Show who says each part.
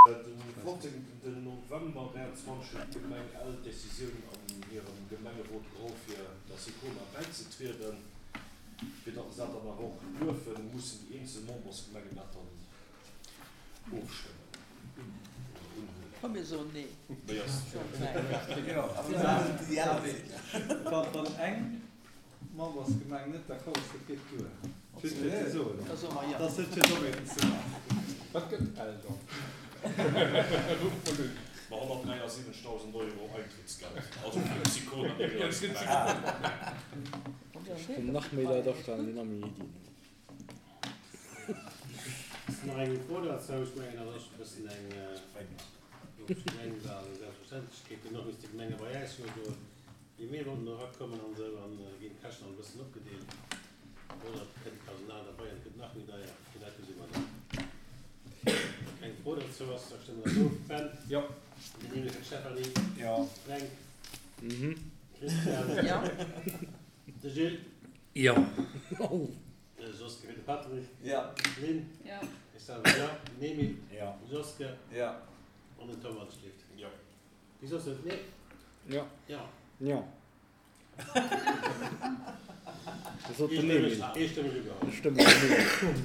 Speaker 1: De 15 November 23 huet d'Gemeng Ell d'Decisioun an hirem Gemengerot geholl fir der Sicoma bäizetrieden. Fir datt se dat dann awer och duerfen, mussen déi eenzel Membersgemengen dat dann ofstëmmen oder unhuelen.
Speaker 2: Komm mir soen nee.
Speaker 1: Méi ass
Speaker 3: Wann eng Membersgemeng net d'accord ass, dat geet duer. Just fir ze soen,
Speaker 2: Da soe mer jo.
Speaker 3: dat ass net fir Dommheeten ze maachen.
Speaker 4: Wat gëtt Ell dann? Ruff mol un.
Speaker 1: Ma 173.000 Euro Eintrittsgeld, also fir d'Sicona, net fir eis Gemeng.
Speaker 5: Kommen nach méi Leit afalen, déi nach méi Iddien hunn.
Speaker 6: Ass nach eng Fro dozou? Ech mengen, dat ass e bëssen eng eng Selbstverständlechkeet. Duerno misst de Gemenge bei äis jo soen, Wéi mir wollten do erakommen an esou, an da ginn d'Käschten alt e bëssen opgedeelt. Oder et kënnt Personal derbei an et gëtt nach méi deier. Fir dat gesi mer dann. Wa keng Fro dozou ass, da stëmme mer dat of. Ben?
Speaker 4: Jo.
Speaker 6: Den Emile fir d'Stéphanie.
Speaker 4: Jo.
Speaker 6: Fränk?
Speaker 5: Mhm.
Speaker 6: Christian?
Speaker 2: Jo.
Speaker 6: De Gilles?
Speaker 5: Jo.
Speaker 6: De Joske fir de Patrick?
Speaker 3: Jo.
Speaker 6: Lynn?
Speaker 2: Jo.
Speaker 6: Ech selwer jo. Den Emile?
Speaker 4: Jo.
Speaker 6: De Joske?
Speaker 3: Jo.
Speaker 6: An den Tom Walschlift?
Speaker 1: Jo.
Speaker 6: Wéi soss net? Nee?
Speaker 5: Jo.
Speaker 6: Jo.
Speaker 5: Jo. Dat sot den Emil.
Speaker 6: Eestëmmeg ugeholl.
Speaker 5: Eestëmmeg ugeholl.